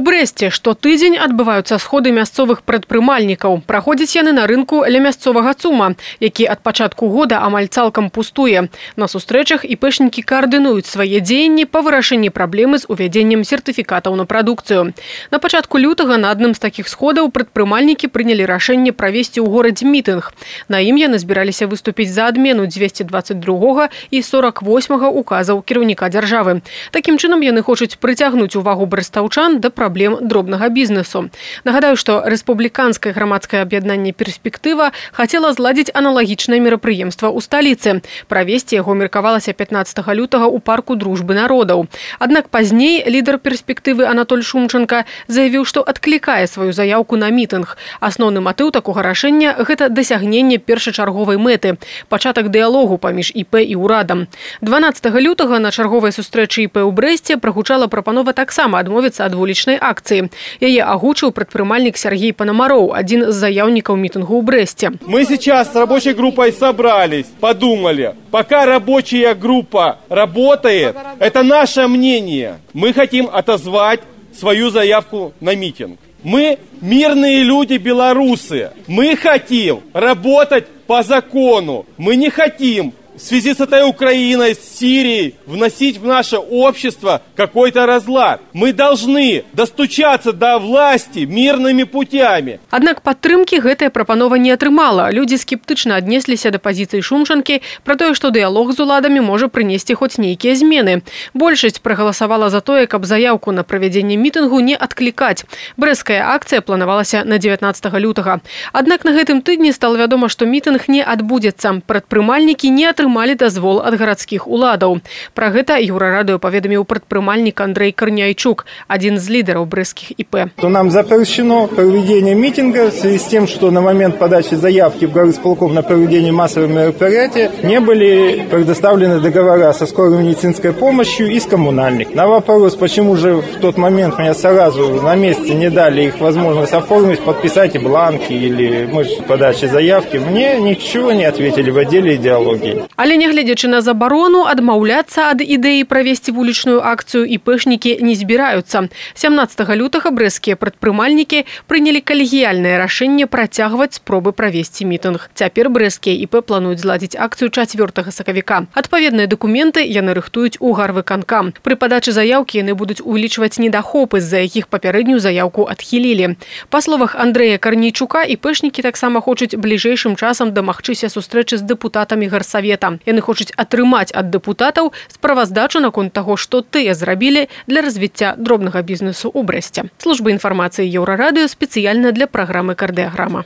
У Брэсце штотыдзень адбываюцца сходы мясцовых прадпрымальнікаў. Праходзяць яны на рынку ля мясцовага ЦУМа, які ад пачатку года амаль цалкам пустуе. На сустрэчах іпэшнікі каардынуюць свае дзеянні па вырашэнні праблемы з увядзеннем сертыфікатаў на прадукцыю. На пачатку лютага на адным з такіх сходаў прадпрымальнікі прынялі рашэнне правесці ў горадзе мітынг. На ім яны збіраліся выступіць за адмену 222 і 48 указаў кіраўніка дзяржавы. Такім чынам яны хочуць прыцягнуць увагу брэстаўчан да праблем дробнага бізнесу. Нагадаю, што рэспубліканскае грамадскае аб'яднанне «Перспектыва» хацела зладзіць аналагічнае мерапрыемства ў сталіцы. Правесці яго меркавалася 15 лютага ў парку дружбы народаў. Аднак пазней лідар «Перспектывы» Анатоль Шумченко заявіў, што адклікае сваю заяўку на мітынг. Асноўны матыў такога рашэння – гэта дасягненне першачарговай мэты – пачатак дыялогу паміж ІП і ўрадам. 12 лютага на чарговай сустрэчы ІП ў Брэсце прагучала прапанова таксама адмовіцца ад вулічнай акцыі. Яе агучыў прадпрымальнік Сергей Панамароў, адзін з заяўнікаў мітынгу ў Брэсце. Мы сейчас с рабочей группой собрались, подумали. Пока рабочая группа работает, это наше мнение. Мы хотим отозвать свою заявку на митинг. Мы мирные люди белорусы. Мы хотим работать по закону. Мы не хотим в связи с этой Украиной, с Сирией, вносить в наше общество какой-то разлад. Мы должны достучаться до власти мирными путями. Аднак падтрымкі гэтая прапанова не атрымала. Людзі скептычна аднесліся да пазіцыі Шумчанкі пра тое, што дыялог з уладамі можа прынесці хоць нейкія змены. Большасць прагаласавала за тое, каб заяўку на правядзенне мітынгу не адклікаць. Брэсцкая акцыя планавалася на 19 лютага. Аднак на гэтым тыдні стала вядома, што мітынг не адбудзецца. Прадпрымальнікі не атрымалі дазвол ад гарадскіх уладаў. Пра гэта Еўрарадыё паведаміў прадпрымальнік Андрей Корняйчук, адзін з лідараў брэсцкіх ІП. Нам запрещено проведение митинга в связи с тем, что на момент подачи заявки в горисполком на проведение массовых мероприятий не были предоставлены договора со скорой медицинской помощью и с коммунальных. На вопрос, почему же в тот момент мне сразу на месте не дали их возможность оформить, подписать бланки или подачи заявки, мне ничего не ответили в отделе идеологии. Але нягледзячы на забарону, адмаўляцца ад ідэі правесці вулічную акцыю іпэшнікі не збіраюцца. 17 лютага брэсцкія прадпрымальнікі прынялі калегіяльнае рашэнне працягваць спробы правесці мітынг. Цяпер брэсцкія ІП плануюць зладзіць акцыю 4 сакавіка. Адпаведныя дакументы яны рыхтуюць у гарвыканкам. Пры падачы заяўкі яны будуць увелічваць недахопы, з-за якіх папярэднюю заяўку адхілілі. Па словах Андрэя Карнейчука, іпэшнікі таксама хочуць бліжэйшым часам дамагчыся сустрэчы з дэпутатамі гарсавета. Яны хочуць атрымаць ад дэпутатаў справаздачу наконт таго, што тыя зрабілі для развіцця дробнага бізнесу ў Брэсце. Служба інфармацыі Еўрарадыё спецыяльна для праграмы «Кардыяграма».